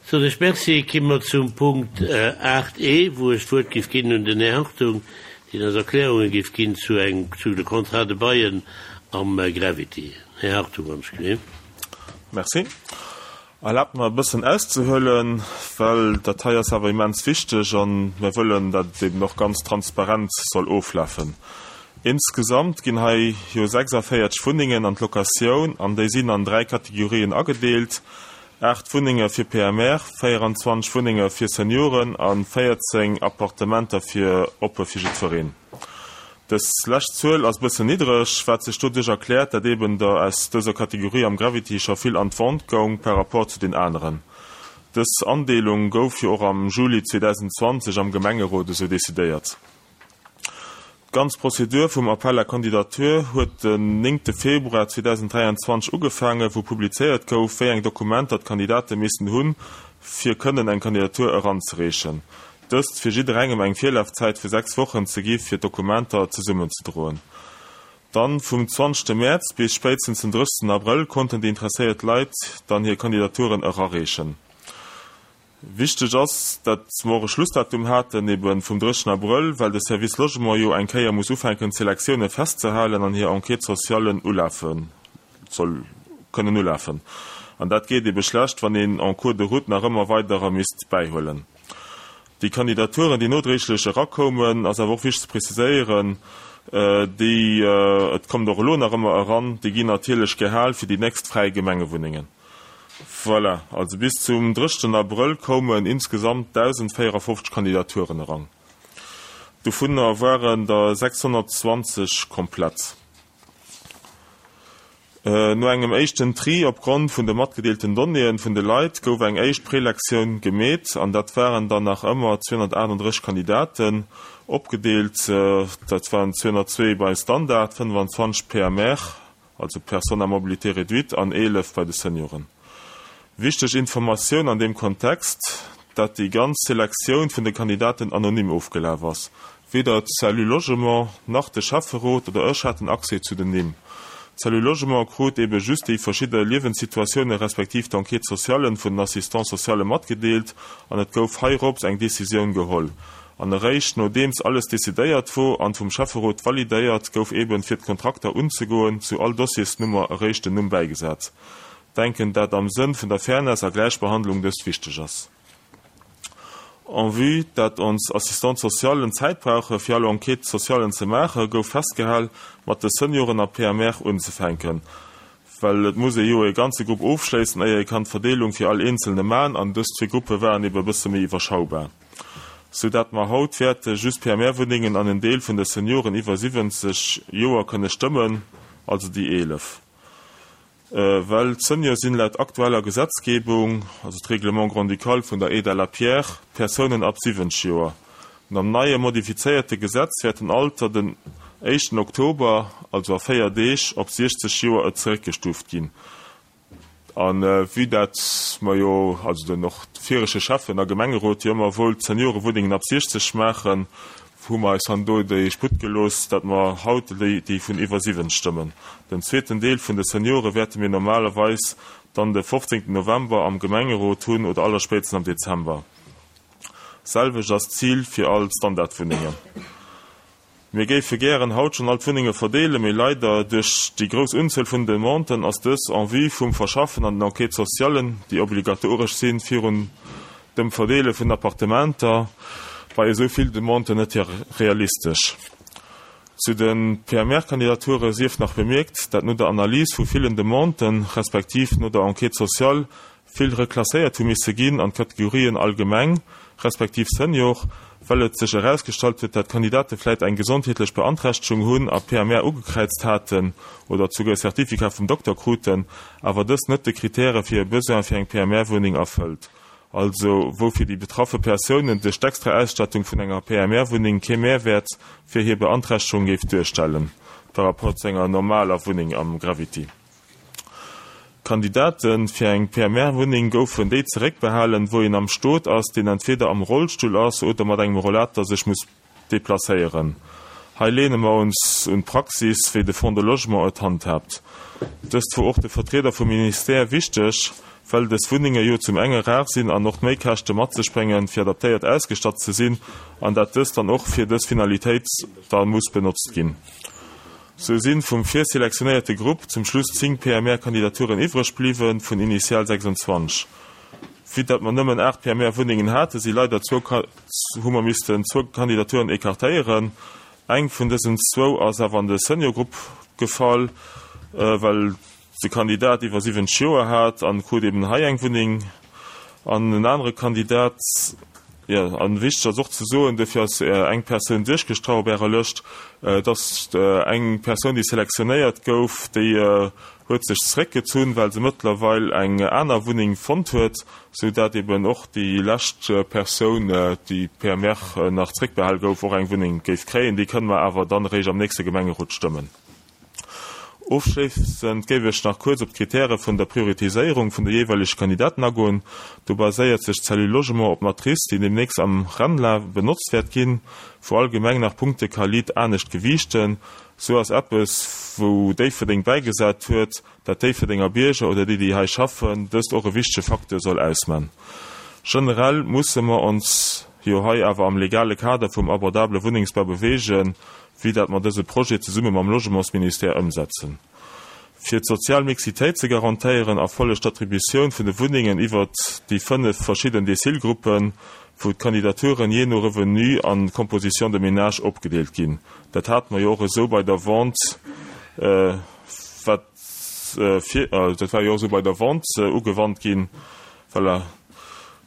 Soen ech Merci. Ki mer zum Punkt 8 e, wou ech d'Wuert géif ginn un den Här Hartung, deen eis Erklärunge géif ginn zu eng, zu de Contrats de baillen am Gravity. Här Hartung, wann ech gleef. Merci. Erlaabt mer e bëssen auszehuelen, well dat hei ass awer immens wichteg a mir wëllen, dat et eben och ganz transparent soll oflafen. Insgesamt ginn hei jo 46 Wunnengen an d'Locatioun an déi sinn an 3 Kategorien agedeelt, 8 Wunnenge fir PMR, 24 Wunnenge fir Senioren a 14 Appartementer fir oppe fir jiddwereen. Dës lescht Zuel ass bëssen niddreg, wat sech doduerch erkläert, dat eben der aus dëser Kategorie am Gravity scho vill an d'Vente goung par rapport zu den aneren. Dës Andeelung gouf jo och am Juli 2020 am Gemengerot esou decidéiert. D'ganz Prozedur vum Appel à candidature huet den néngte Februar 2023 ugefaangen, wou publizéiert gouf, wéi eng Dokumenter d'Kandidate missten hunn, fir kënnen eng Kandidatur eranzereechen. Dëst fir jidderengem eng Virlafzäit vu 6 Wochen ze gi fir d'Dokumenter zesummenzedroen. Dann vum 20 Mäerz bis spéitstens den 30 Abrëll konnten déi interesséiert Leit dann hir Kandidaturen erareechen. Wichteg ass, dat mer och e Schlussdatum haten, eben vum 30 Abrëll, well de Service Logement jo eng Kéier muss ufänken d'Selektioune festzehalen an hir Enquête socialen ulafen. Soll kënnen ulafen. An dat geet ebe schlecht, wann een en cours de route nach ëmmer weiderer misst bäihuelen. Déi Kandidaturen, déi nodréiglech erakoumen, ass awer och wichteg ze preziséieren, déi, et kommt och elo nach ëmmer eran, déi ginn natierlech gehal fir déi nächst fräi Gemengewunnengen. Voilà, also bis zum 30 Abrëll koumen insgesamt 1.054 Kandidaturen eran. Dovunner waren der 620 komplett. No engem éischten Tri opgrond vun de matgedeelten Donnéeën vun de Leit gouf eng éischt Prelektioun gemeet an dat waren dann nach ëmmer 238 Kandidaten, opgedeelt, dat waren 202 bei Standard, 25 PMR, also Personnes à mobilité réduite, an 11 bei de Senioren. Wichteg Informatioun an deem Kontext, dat déi ganz Selektioun vun de Kandidaten anonym ofgelaf ass. Weder d'Cellule Logement, nach de Schäfferot oder ech haten Accès zu den Nimm. D'Cellule Logement krut ebe just déi verschidde Liewenssituatioune respektiv d'Enquête sociale vun den Assistants sociale matgedeelt an et gouf heirops eng Decisioun geholl. An eréischt nodeems alles decidéiert wor an vum Schäfferot validéiert gouf eben fir d'Kontrakter unzegoen, zu all Dossiersnummer eréischt den Numm bäigesat. Denken dat am Sënn vun der Fairness a Gläichbehandlung dëst wichteg ass. En vue dat ons Assistante socialen Zäit brauche fir all Enquête socialen ze maache gouf festgehal mat de Senioren a PMR unzefänken, well et muss ee jo e ganze Grupp ofschléissen éier ee kann d'Verdeelung fir all eenzelne man an dës zwee Gruppe waren ebe e bësse méi iwwerschaubar, sou dat mer haut wäerte just PMR-Wunnengen an en Deel vun de Senioren iwwer 70 Joer kënne stëmmen, also déi 11. Well d'Senior sinn laut aktueller Gesetzgebung, also d'Règlement grand-ducal vun der Eda Lapierre, Persounen ab 70 Joer. Nom neie modifizéierte Gesetz wäert den Alter den éischten Oktober, also a 4 Deeg, op 60 Joer zeréckgestuuft ginn. A vue dat mer jo, also den och viregte Schäffen a Gemengerot jo ëmmer wollt d'Seniorewunnengen ab 60 maachen, Hu mer eis han do déi Sputt gelooss, dat mer haut déi vun iwwer 7 stëmmen. Den zweeten Deel vun de Seniore wäerte mir normalerweis dann de 15 November am Gemengerot hunn oder allerspéitstens am Dezember. Selwecht ass d'Zil fir all d'Standardwunnengen. Mir géife gären haut schonn all d'Wunnenge verdeelen, mee leider duerch déi grouss Unzuel vun Demanden ass dës en vue vum Verschaffen an den Enquêtes socialen, déi obligatoresch sinn, virun dem Verdeele vun Appartementer bei esou vill Demanden net realistesch. Zu de PMR-Kandidature sief nach bemierkt, dat no der Analys vu villen Demanden, respektiv no der Enquête sociale, vill reklasséiert hu misse ginn an d'Kategorien allgemeng, respektiv Senior, well et sech erausgestallt huet, dat Kandidate vläit eng gesondheetlech Beanträchtegung hunn a PMR ugekräizt haten oder souguer e Certificat vum Dokter kruten, awer dës net de Kritäre fir e Besoin fir eng PMR-Wunneng erfëllt. Also wou fir déi betraffe Persounen duerch d'extra Ausstattung vun enger PMR-Wunneng kee Mehrwäert fir hir Beanträchtegung géif duerstellen par rapport zu enger normaler Wunneng am Gravity. Kandidate fir eng PMR-Wunneng goufen déi zeréckbehalen, wou een am Stot ass, deen entweder am Rollstull ass oder mat engem Rollator sech muss deplacéieren. Hei lehne mer ons un d'Praxis, wéi de Fonds de Logement et handhaabt. Dëst wor och de Vertrieder vum Ministère wichteg, Well dës Wunnenge jo zum enge rar sinn an och d'Méikäschte mat sech bréngen, fir adaptéiert ausgestatt ze sinn, an dat dëst dann och fir dës Finalitéit da muss benotzt ginn. Sou sinn vum virselektionéierte Grupp zum Schluss 10 PMR-Kandidaturen iwwreg bliwwen, vun initial 26. Vue dat mer nëmmen 8 PMR-Wunnengen haten, si leider zwou hu mer missten zwou Kandidaturen écartéieren. Eng vun dësen zwou ass awer an de Senior-Grupp gefall, well de Kandidat iwwer 70 Joer hat an krut eben hei eng Wunneng an en anere Kandidat, jo, an wichteg ass och ze soen, duerfir ass eng Persoun duerchgestrach op Ärer Lëscht, dass eng Persoun, déi selektionéiert gouf, déi huet sech zeréckgezunn, well se mëttlerweil eng aner Wunneng fonnt huet, sou dat eben och déi lescht Persoun, déi PMR nach zeréckbehal gouf, och eng Wunneng géif kréien. Déi kënne mer awer dann eréischt am nächste Gemengerot stëmmen. Ofschléissend géif ech nach kuerz op d'Kritäre vun der Prioritiséierung vun de jeeweilege Kandidaten agoen. Do baséiert sech d'Cellule Logement op d'Matrice, déi deemnächst am RENLA benotzt wäert ginn, wou all Gemeng nach Punkte ka liit anescht gewiichten. Sou ass eppes, wou Déifferdeng bäigesat huet, dat Déifferdenger Bierger oder déi, déi hei schaffen, dëst och e wichtege Facteur soll ausman. Generell musse mer ons jo hei awer am legale Kader vum abordabele Wunnengsbau beweegen, wéi dat mer dëse Projet zesumme mam Logementsministère ëmsetzen. Fir d'sozial Mixitéit ze garantéieren, erfollegt d'Attributioun vun de Wunnengen iwwert déi 5 verschidden Decile-Gruppen, wou d'Kandidaturen jee no Revenu an Composition de ménage opgedeelt ginn. Dat hate mer jo och esou bei der Vente, wat fir, dat war jo och esou bei der Vente ugewannt ginn. Voilà.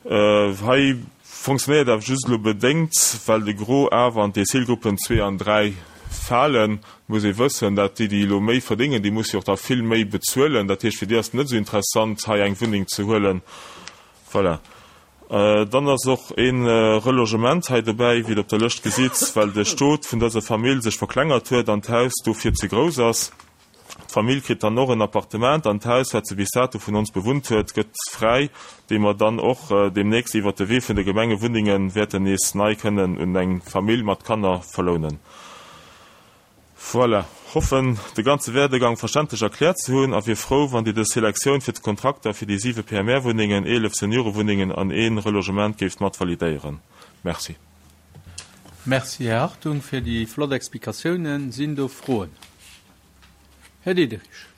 Hei fonctionnéiert awer just elo bedéngt, well de Gros awer an d'Decile-Gruppen 2 an 3 falen. Et muss ee wëssen, dat déi, déi elo méi verdéngen, déi musse jo och da vill méi bezuelen. Dat heescht, fir déi ass et net esou interessant, hei eng Wunneng ze huelen. Voilà. Dann ass och e Relogement hei dobäi, wéi Der op der Lëscht gesitt, well de Stot vun dëser Famill sech verklengert huet an d'Haus dofir ze grouss ass. D'Famill kritt dann och en Appartement an d'Haus, wat se bis dato vun ons bewunnt huet, gëtt fräi, déi mer dann och deemnächst iwwert de Wee vun de Gemengewunnenge wäerten nees nei kënnen un eng Famill mat Kanner verlounen. Voilà, hoffen de ganze Werdegang verständlech erkläert ze hunn a wier frou, wann Dir dës Selektioun fir d'Kontrakter fir déi siwe PMR-Wunnengen, 11 Seniorewunnengen an ee Relogement géift mat validéieren. Merci. Merci, Här Hartung, fir déi flott Explikatiounen. Sinn do Froen? Här Diderich.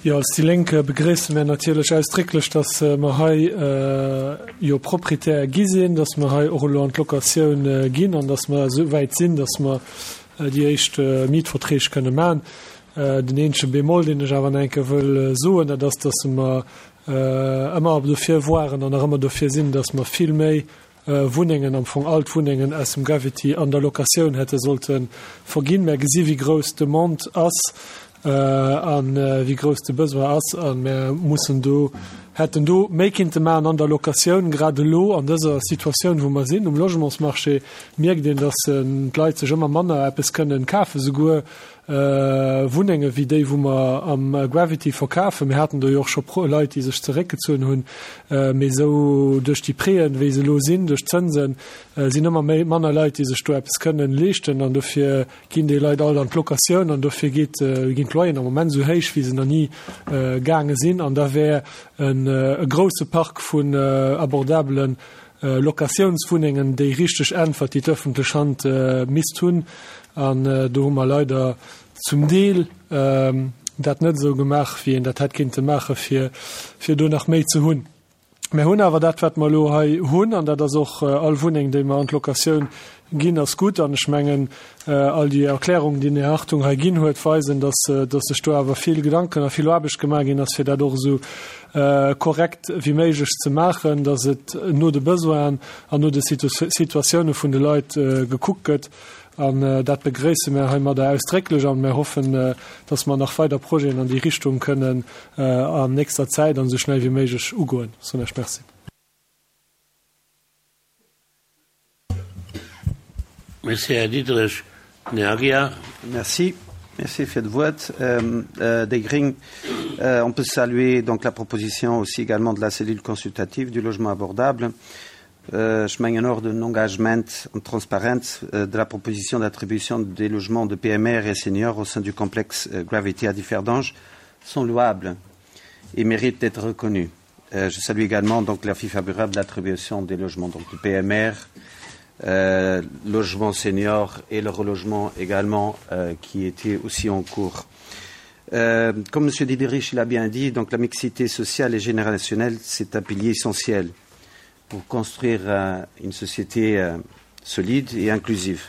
Jo, als déi Lénk begréisse mär natierlech ausdrécklech, dass mer hei jo Proprietär gi sinn, dass mer hei och elo an d'Locatioun ginn an dass mer esou wäit sinn, dass mer déi éischt Mietverträg kënne maachen. Den eenzege Bémol, deen ech awer nach eng Kéier wëll soen, dat ass, dass mer ëmmer dofir waren an nach ëmmer dofir sinn, dass mer vill méi Wunnengen, am Fong all d'Wunnengen aus dem Gravity an der Locatioun hätte sollte verginn. Mär gesi wéi grouss d'Demande ass a wéi grouss de Besoin ass a mär mussen do, hätten do méi kinnte maachen an der Locatioun. Grad elo an dëser Situatioun wou mer sinn um Logementsmarché mierkt een, datt d'Leit sech ëmmer manner eppes kënnen kafen, souguer Wunnenge wéi déi, wou mer am Gravity verkafen. Mir haten do jo och scho Leit, déi sech zeréckgezunn hunn. Mee esou duerch déi Prêten, wéi se elo sinn, duerch d'Zënsen, sinn ëmmer méi, manner Leit, déi sech do eppes kënnen leeschten. An dofir ginn déi Leit all an d'Locatioun. An dofir geet, ginn d'Loyeren am Moment esou héich, wéi se nach ni gaange sinn. An da wär e grousse Park vun abordabelen Locatiounswunnengen déi richteg Äntwert, déi d'öffentlech Hand misst hunn. An do hu mer leider zum Deel dat net esou gemaach, wéi een dat hätt kinnte maachen, fir, fir do nach méi ze hunn. Mir hunn awer dat, wat mer elo hei hunn, an dat ass och all Wunneng, déi mer an d'Locatioun ginn, ass gutt. An ech mengen, all déi Erklärungen, déi den Här Hartung hei ginn huet, weisen, dass, dass sech do awer vill Gedanken a vill Aarbecht gemaach ginn ass, fir dat och esou korrekt wéi méiglech ze maachen, dass et no de Besoinen an no de Situatioune vun de Leit gekuckt gëtt. An dat begréisse mir heimadder ausdrécklech a mir hoffen, dass mer nach weider Projeten an déi Richtung kënnen an nächster Zäit an esou schnell wéi méiglech ugoen. Soen ech Merci. Merci, Här Diderich. Den Här Aguiar. Merci. Merci fir d'Wuert. Déi Gréng, on peut saluer donc la proposition aussi également de la cellule consultative du logement abordable. Ech mengen och den Engagement an d'Transparenz de la proposition d'attribution des logements de PMR et seniors au sein du complexe Gravity à Differdange sont louables. et mérite d'être reconnu. Euh, je salue également donc l'avis favorable de l'attribution des logements, donc du PMR, euh, logement senior et le relogement également euh, qui était aussi en cours. Euh, comme M. Diderich l'a bien dit, donc la mixité sociale et générationnelle, c'est un pilier essentiel pour construire euh, une société euh, solide et inclusive.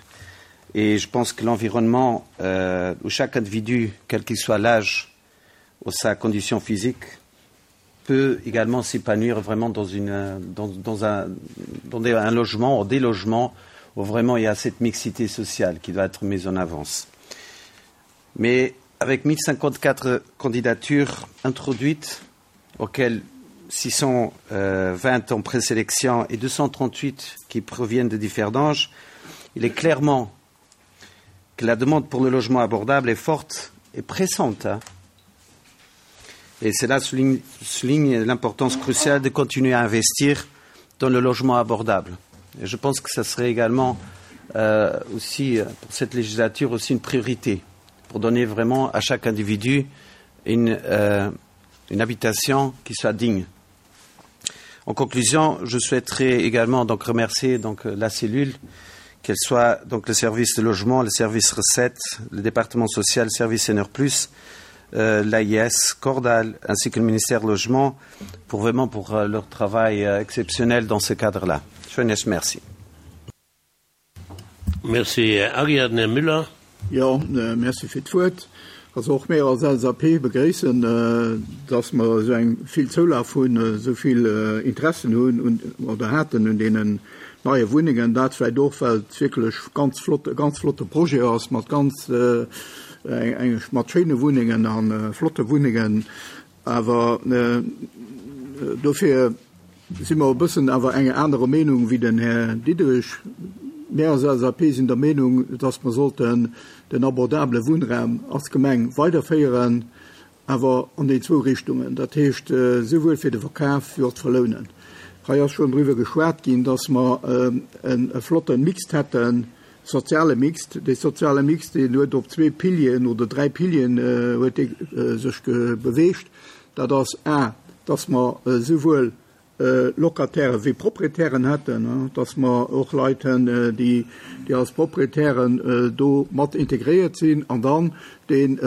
Et je pense que l'environnement euh, où chaque individu, quel qu'il soit l'âge ou sa condition physique, peut également s'épanouir vraiment dans, une, dans, dans, un, dans des, un logement ou des logements où vraiment il y a cette mixité sociale qui doit être mise en avance. Mais avec 1054 candidatures introduites, auxquelles 620 en présélection et 238 qui proviennent de Differdange, il est clairement que la demande pour le logement abordable est forte et pressante. Hein. Et cela souligne, souligne l'importance cruciale de continuer à investir dans le logement abordable. Et je pense que ça serait également euh, aussi, pour cette législature, aussi une priorité pour donner vraiment à chaque individu une, euh, une habitation qui soit digne. En conclusion, je souhaiterais également donc remercier donc la cellule, qu'elle soit donc le service de logement, le service recette, le département social, le service NR+, euh, l'AIS, Cordal, ainsi que le ministère du Logement, pour vraiment pour euh, leur travail euh, exceptionnel dans ce cadre-là. Je vous remercie. Merci Ariadne Här Müller. Jo, merci fir d'Wuert. Also och mir als LSAP begréissen, dass mer esou eng vill Zoulaf hunn, esou vill Interessen hunn un, oder haten un deenen neie Wunnengen. Dat vläicht och, well et wierklech ganz flott, e ganz flotte Projet ass mat ganz eng, mat schéine Wunnengen a flotte Wunnengen. Awer dofir si mer e bëssen awer enger anerer Meenung wéi den Här Diderich. Mir als LSAP sinn der Meenung, dass mer sollten den abordabele Wunnraum als Gemeng weiderféieren, awer an déi zwou Richtungen, dat heescht souwuel fir de Verkaf wéi och d'Verlounen. Hei ass schonn driwwer geschwat ginn, dass mer e flotte Mixte hätten, Soziale Mixte. Dee soziale Mixte, deen huet op zwee Pilieren oder dräi Pilieren huet dee sech beweegt. Dat ass a, dass mer esouwuel Locataire wéi Proprietären hätten, dass mer och Leit hunn, déi als Proprietären do mat integréiert sinn, an dann deen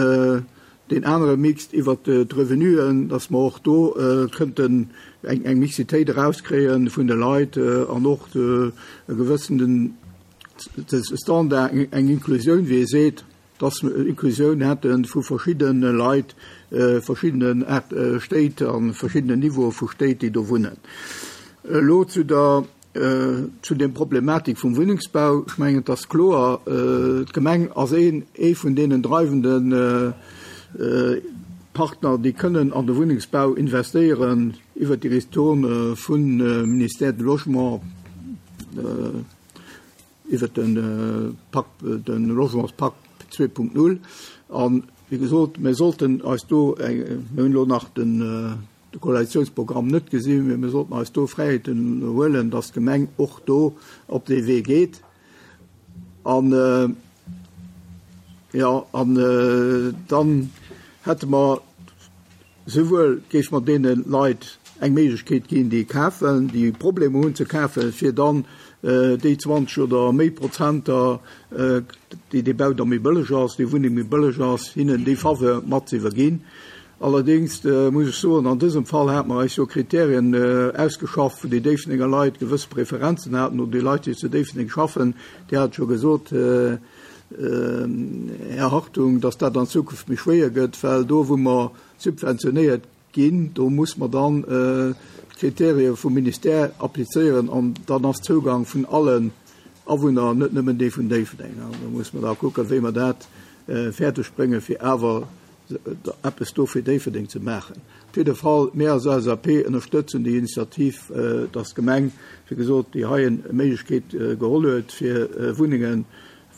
deen anere Mixte iwwert d'Revenuen, dass mer och do kënnten eng Mixitéit erauskréie vun de Leit an och e gewëssenen Standard, eng Inklusioun, wéi ee seet, dass mer Inklusioun hätte vu verschiddene Leit, verschiddenen Stéit a verschiddenen Niveaue vu Stéit, déi do wunnen. Elo zu der, zu der Problematik vum Wunnengsbau. Ech mengen, et ass kloer, d'Gemeng ass een, ee vun deenen dreiwende Partner, déi kënnen an de Wunnengsbau investéieren iwwert déi Ristourne vum Ministère du Logement, iwwert de Pakt, de Logementspakt 2.0. A wéi gesot, mir sollten eis do, mir hunn elo nach den Koalitionsprogramm net gesinn, mee mir sollten eis do Fräiheeten huelen, dass d'Gemeng och do op dee Wee geet. An, jo, an dann hätte mer Souwuel géife mer deene Leit eng Méiglechkeet ginn, déi kafen, déi Problemer hunn ze kafen, fir dann déi 20 oder méi Prozenter, déi dee Bau da méi bëlleg ass, déi Wunneng méi bëlleg ass, hinnen déi Faveur mat ze iwwerginn. Allerdéngs muss ech soen, an dësem Fall hate mer eis jo Kriterien ausgeschafft, wou déi Déifferdenger Leit gewësse Preferenzen haten, oder déi Leit, déi zu Déifferdeng schaffen, Dir hat et scho gesot, Här Hartung, dass dat an Zukunft méi schwéier gëtt, well do, wou mer subventionéiert ginn, do muss mer dann d'Kriterie vum Ministère applizéieren an dann ass Zougang vun allen Awunner, net nëmmen dee vun Déifferdeng. An do muss mer da kucken, wéi mer dat fäerdeg bréngen, fir awer eppes do fir Déifferdeng ze maachen. Op jidde Fall, mir als LSAP ënnerstëtzen déi Initiativ, dass d'Gemeng, wéi gesot, déi heien Méiglechkeet geholl huet, fir Wunnengen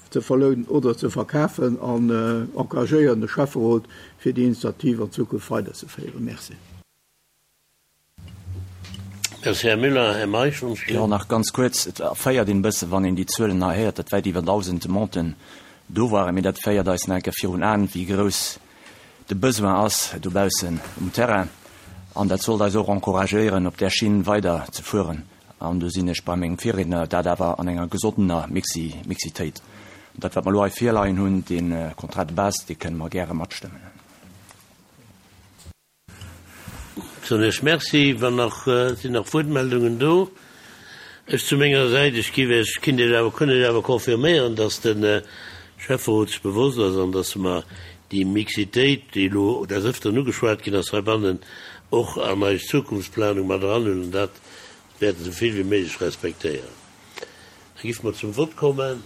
ze verlounen oder ze verkafen an encouragéieren de Schäfferot, fir déi Initiativ an Zukunft weiderzeféieren. Merci. Merci, Här Müller. Här Meisch, ons Jo, nach ganz kuerz. Et erféiert een e bësse wann een déi Zuelen hei héiert, datt wäit iwwer 1.000 Demanden do waren. Mee dat féiert eis nach eng Kéier virun Aen, wéi grouss de Besoin ass dobaussen um Terrain. An dat sollt eis och encouragéieren, op där Schinn weider ze fueren. An do sinn ech bei mengem Virriedner, dat awer an enger gesondener Mixi, Mixitéit. An dat, wat mer elo hei virleien hunn, dee Contrat de base, dee kënne mer gäre matstëmmen. Soen ech Merci. Wann nach, sinn nach Wuertmeldungen do? Ech zu menger Säit, ech giff Iech, kinnt Iech awer, kënn Iech awer confirméieren, dass de Schäfferot sech bewosst ass an dass mer déi Mixitéit, déi elo des Ëfteren ugeschwat ginn ass heibannen, och an eis Zukunftsplanung mat eranhuelen an dat wäerten esou vill wéi méiglech respektéieren. Da giffe mer zum Vott kommen.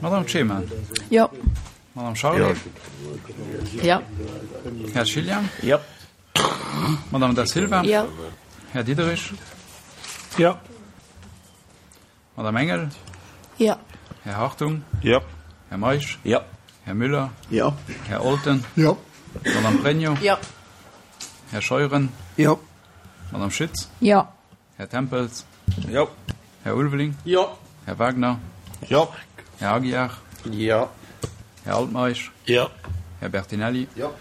Madame Clement. Jo. Madame Charlé. Jo. Här Schillian. Jo. Madame Da Silva. Jo. Här Diderich. Jo. Madame Engel. Jo. Här Hartung. Jo. Här Meisch. Jo. Här Müller. Jo. Här Olten. Jo. Madame Pregno. Jo. Här Scheuren. Jo. Madame Schütz. Jo. Här Tempels. Jo. Här Ulveling. Jo. Här Wagner. Jo. Här Aguiar. Jo. Här Altmeisch. Jo. Här Bertinelli. Jo.